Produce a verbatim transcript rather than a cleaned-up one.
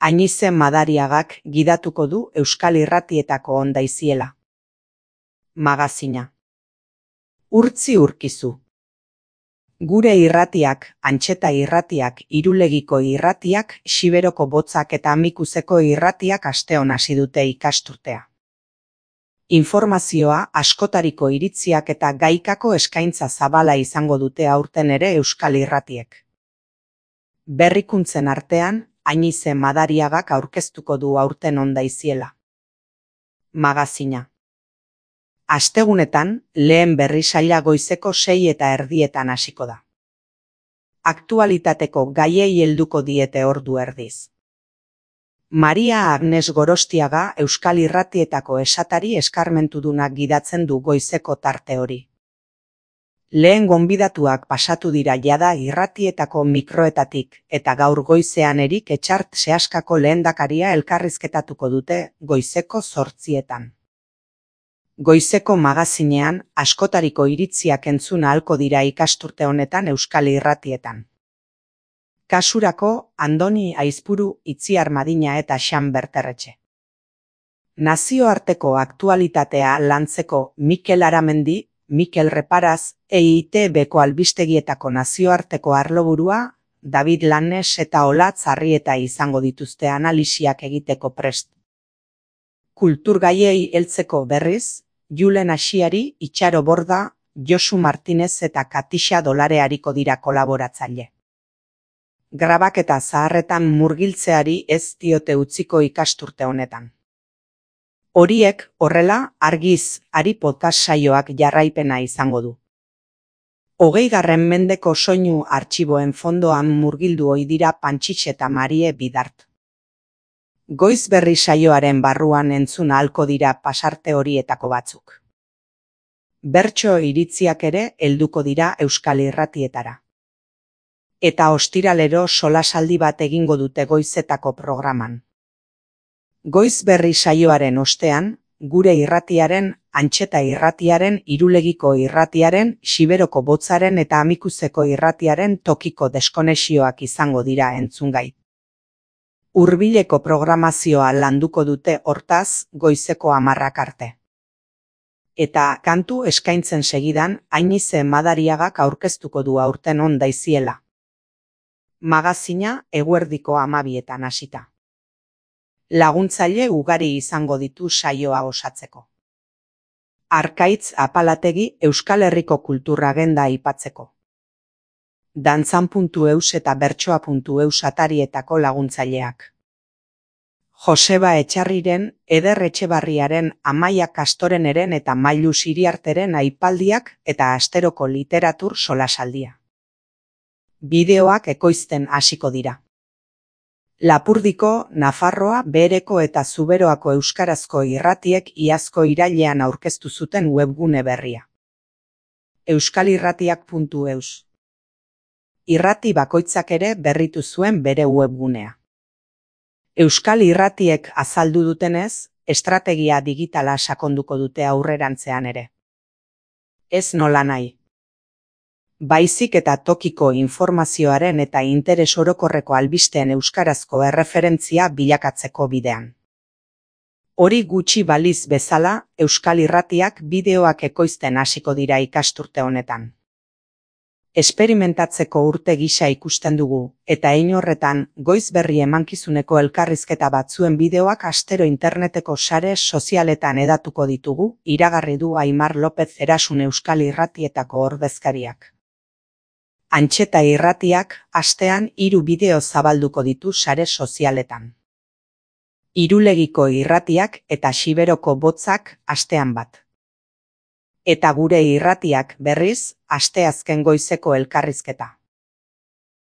Añize Madariagak gidatuko du Euskal Irratietako ondaiziela. Magazina. Urtzi urkizu. Gure irratiak, Antxeta irratiak, Irulegiko irratiak, Xiberoko botzak eta Amikuzeko irratiak asteon hasi dute ikasturtea. Informazioa, askotariko iritziak eta gaikako eskaintza zabala izango dute aurten ere Euskal Irratiek. Berrikuntzen artean, Añize Madariagak aurkeztuko du aurten ondaiziela. Magazina. Astegunetan, lehen berrisaila goizeko sei eta erdietan hasiko da. Aktualitateko gaiei helduko diete ordu erdiz. Maria Agnes Gorostiaga Euskal Irratietako esatari eskarmentudunak gidatzen du goizeko tarte hori. Lehen gonbidatuak pasatu dira jada irratietako mikroetatik eta gaur goizean Erik Etxart Seaskako lehendakaria elkarrizketatuko dute goizeko zortzietan. Goizeko magazinean askotariko iritziak entzun ahalko dira ikasturte honetan Euskal Irratietan. Kasurako Andoni Aizpuru, Itziar Madina eta Xan Berterretxe. Nazioarteko aktualitatea lantzeko Mikel Aramendi, Mikel Reparaz, E I T Bko albistegietako nazioarteko arloburua, David Lannes eta Olatz Arrieta izango dituzte analisiak egiteko prest. Kulturgaiei heltzeko berriz, Julen Asiari, Itxaro Borda, Josu Martinez eta Katixa Dolare ariko dira kolaboratzaile. Grabaketa zaharretan murgiltzeari ez diote utziko ikasturte honetan. Horiek, horrela, argiz, ari podcast saioak jarraipena izango du. Hogeigarren mendeko soinu artxiboen fondoan murgildu ohi dira Pantxitx eta Marie Bidart. Goiz berri saioaren barruan entzun ahalko dira pasarte horietako batzuk. Bertso iritziak ere helduko dira Euskal Irratietara. Eta ostiralero solasaldi bat egingo dute goizetako programan. Goiz berri saioaren ostean, gure irratiaren, Antxeta irratiaren, Irulegiko irratiaren, Xiberoko botzaren eta Amikuzeko irratiaren tokiko deskonexioak izango dira entzungai. Hurbileko programazioa landuko dute hortaz goizeko hamarrak arte. Eta kantu eskaintzen segidan Añize Madariagak aurkeztuko du aurten ondaiziela. Magazina eguerdiko hamabietan hasita. Laguntzaile ugari izango ditu saioa osatzeko. Arkaitz Apalategi Euskal Herriko kulturagenda aipatzeko. Dantzan puntu eus eta bertsoa puntu eus atarietako laguntzaileak. Joseba Etxarriren, Eder Etxebarriaren, Amaia Kastoreneren eta Mailu Siriarteren aipaldiak eta asteroko literatur solasaldia. Bideoak ekoizten hasiko dira. Lapurdiko, Nafarroa, Behereko eta Zuberoako euskarazko irratiek iazko irailean aurkeztu zuten webgune berria. euskalirratiak puntu eus. Irrati bakoitzak ere berritu zuen bere webgunea. Euskal Irratiek azaldu dutenez, estrategia digitala sakonduko dute aurrerantzean ere. Ez nola nahi. Baizik eta tokiko informazioaren eta interes orokorreko albisteen euskarazko erreferentzia bilakatzeko bidean. Hori gutxi baliz bezala, Euskal Irratiak bideoak ekoizten hasiko dira ikasturte honetan. Esperimentatzeko urte gisa ikusten dugu, eta hein horretan, goiz berri emankizuneko elkarrizketa batzuen bideoak astero interneteko sare sozialetan edatuko ditugu, iragarri du Aimar López Erasun Euskal Irratietako ordezkariak. Antxeta irratiak astean hiru bideo zabalduko ditu sare sozialetan. Irulegiko irratiak eta Xiberoko botzak astean bat. Eta gure irratiak berriz, asteazken goizeko elkarrizketa.